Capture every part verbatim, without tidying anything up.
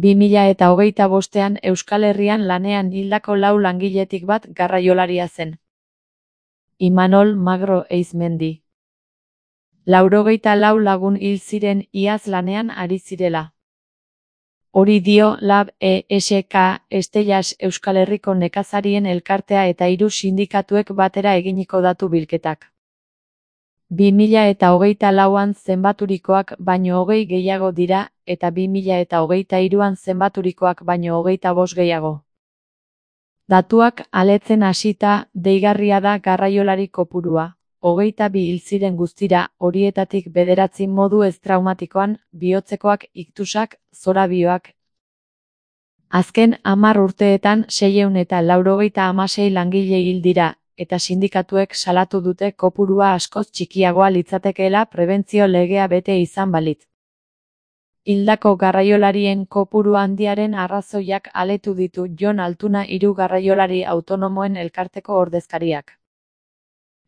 bi mila eta hogeita bostean Euskal Herrian lanean hildako lau langiletik bat garraiolaria zen. Imanol Magro Eizmendi. Laurogeita lau lagun hil ziren iaz lanean ari zirela. Hori dio Lab E S K Estellas Euskal Herriko nekazarien elkartea eta hiru sindikatuek batera eginiko datu bilketak. bi mila eta hogeita lauan zenbaturikoak baino hogei gehiago dira, eta bi mila eta hogeita hiruan zenbaturikoak baino hogeita bost gehiago. Datuak aletzen hasita, deigarria da garraiolari kopurua. Hogeita bi hil ziren guztira, horietatik bederatzi modu ez traumatikoan, bihotzekoak, iktusak, zorabioak. Azken hamar urteetan seiehun eta laurogeita hamasei langile hil dira, eta sindikatuek salatu dute kopurua askoz txikiagoa litzatekeela prebentzio legea bete izan balitz. Hildako garraiolarien kopuru handiaren arrazoiak aletu ditu Jon Altuna hiru garraiolari autonomoen elkarteko ordezkariak.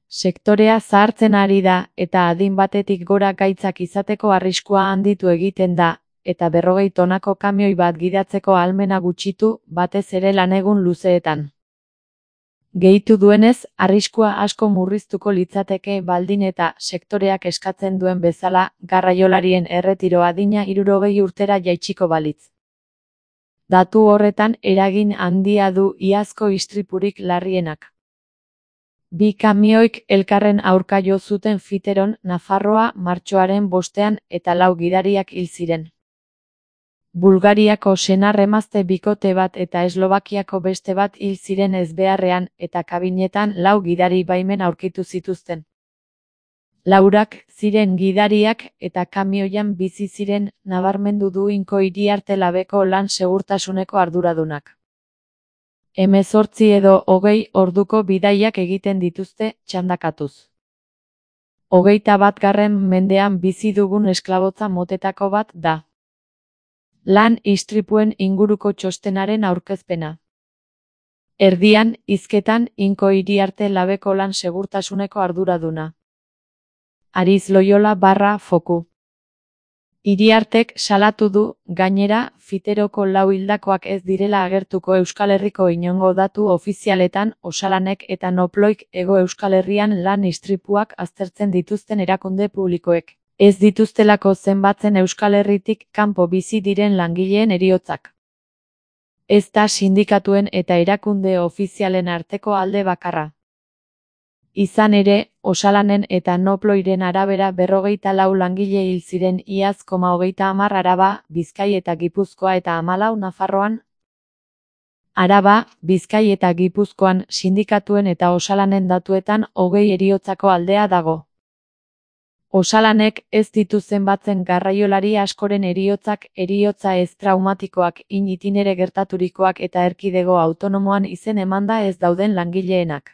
Sektorea zahartzen ari da, eta adin batetik gora gaitzak izateko arriskua handitu egiten da, eta berrogei tonako kamioi bat gidatzeko ahalmena gutxitu, batez ere lanegun luzeetan. Gehitu duenez, arriskua asko murriztuko litzateke baldin eta sektoreak eskatzen duen bezala, garraiolarien erretiro adina hirurogei urtera jaitsiko balitz. Datu horretan eragin handia du iazko istripurik larrienak. Bi kamioik elkarren aurka jo zuten Fiteron, Nafarroa, martxoaren bostean eta lau gidariak hil ziren. Bulgariako senar-emazte bikote bat eta Eslovakiako beste bat hil ziren ezbeharrean eta kabinetan lau gidari baimen aurkitu zituzten. Laurak ziren gidariak eta kamioian bizi ziren, nabarmendu du Inko Iriarte Labeko lan segurtasuneko arduradunak. Hemezortzi edo hogei orduko bidaiak egiten dituzte, txandakatuz. Hogeita batgarren mendean bizi dugun esklabotza motetako bat da. Lan istripuen inguruko txostenaren aurkezpena. Erdian, hizketan, Inko Iriarte Labeko lan segurtasuneko arduraduna. Ariz Loyola barra foku. Iriartek salatu du, gainera, Fiteroko lau hildakoak ez direla agertuko Euskal Herriko inongo datu ofizialetan, Osalanek eta Noploik Hego Euskal Herrian lan istripuak aztertzen dituzten erakunde publikoek. Ez dituztelako zenbatzen Euskal Herritik kanpo bizi diren langileen heriotzak. Ez da sindikatuen eta erakunde ofizialen arteko alde bakarra. Izan ere, Osalanen eta Noploiren arabera berrogeita lau langile hil ziren iaz koma hogeita hamar Araba, Bizkai eta Gipuzkoa eta hamalau Nafarroan. Araba, Bizkai eta Gipuzkoan sindikatuen eta Osalanen datuetan hogei heriotzako aldea dago. Osalanek ez ditu zenbatzen garraiolari askoren heriotzak, heriotza ez traumatikoak, in itinere gertaturikoak eta erkidego autonomoan izen emanda ez dauden langileenak.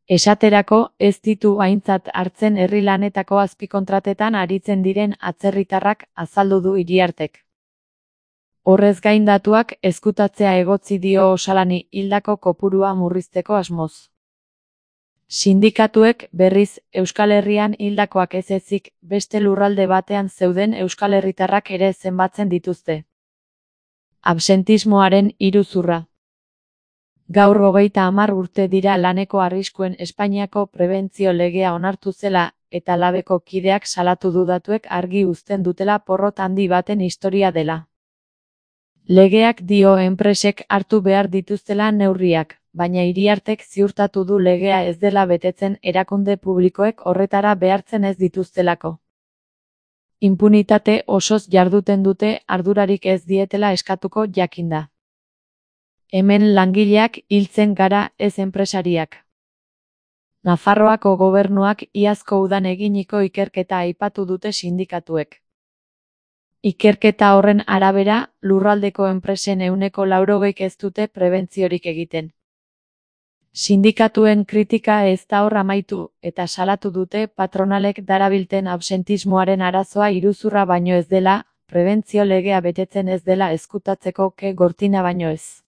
Esaterako, ez ditu aintzat hartzen herri lanetako azpikontratetan aritzen diren atzerritarrak, azaldu du Iriartek. Horrez gain datuak ezkutatzea egotzi dio Osalani hildako kopurua murrizteko asmoz. Sindikatuek, berriz, Euskal Herrian hildakoak ez ezik, beste lurralde batean zeuden Euskal Herritarrak ere zenbatzen dituzte. Absentismoaren iruzurra. Gaur hogeita hamar urte dira laneko arriskuen Espainiako prebentzio legea onartu zela, eta Labeko kideak salatu du datuek argi uzten dutela porrot handi baten historia dela. Legeak dio enpresek hartu behar dituztela neurriak, baina Iriartek ziurtatu du legea ez dela betetzen erakunde publikoek horretara behartzen ez dituztelako. Impunitate osoz jarduten dute ardurarik ez dietela eskatuko jakinda. Hemen langileak hiltzen gara ez enpresariak. Nafarroako gobernuak iazko udan eginiko ikerketa aipatu dute sindikatuek. Ikerketa horren arabera, lurraldeko enpresen ehuneko laurogeik ez dute prebentziorik egiten. Sindikatuen kritika ez da hor amaitu, eta salatu dute patronalek darabilten absentismoaren arazoa iruzurra baino ez dela, prebentzio legea betetzen ez dela ezkutatzeko ke gortina baino ez.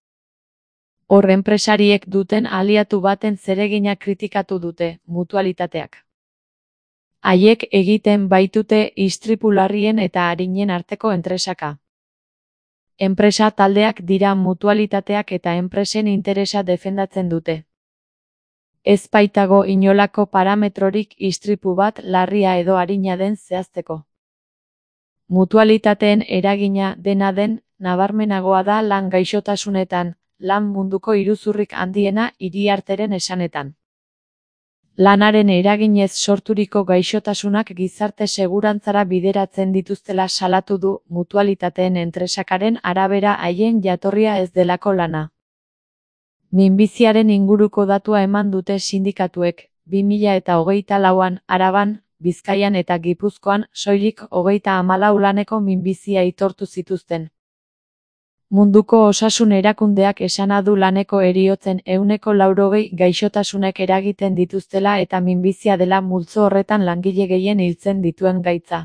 Hor enpresariek duten aliatu baten zeregina kritikatu dute, mutualitateak. Haiek egiten baitute istripu larrien eta arinen arteko entresaka. Enpresa taldeak dira mutualitateak eta enpresen interesa defendatzen dute. Ez baitago inolako parametrorik istripu bat larria edo arina den zehazteko. Mutualitateen eragina dena den, nabarmenagoa da lan gaixotasunetan, lan munduko iruzurrik handiena Iriarteren esanetan. Lanaren eraginez sorturiko gaixotasunak gizarte segurantzara bideratzen dituztela salatu du mutualitateen entresakaren arabera haien jatorria ez delako lana. Minbiziaren inguruko datua eman dute sindikatuek, bi mila eta hogeita lauan, Araban, Bizkaian eta Gipuzkoan soilik hogeita hamalau laneko minbizia aitortu zituzten. Munduko Osasun Erakundeak esana du laneko heriotzen ehuneko laurogei gaixotasunek eragiten dituztela eta minbizia dela multzo horretan langile gehien hiltzen dituen gaitza.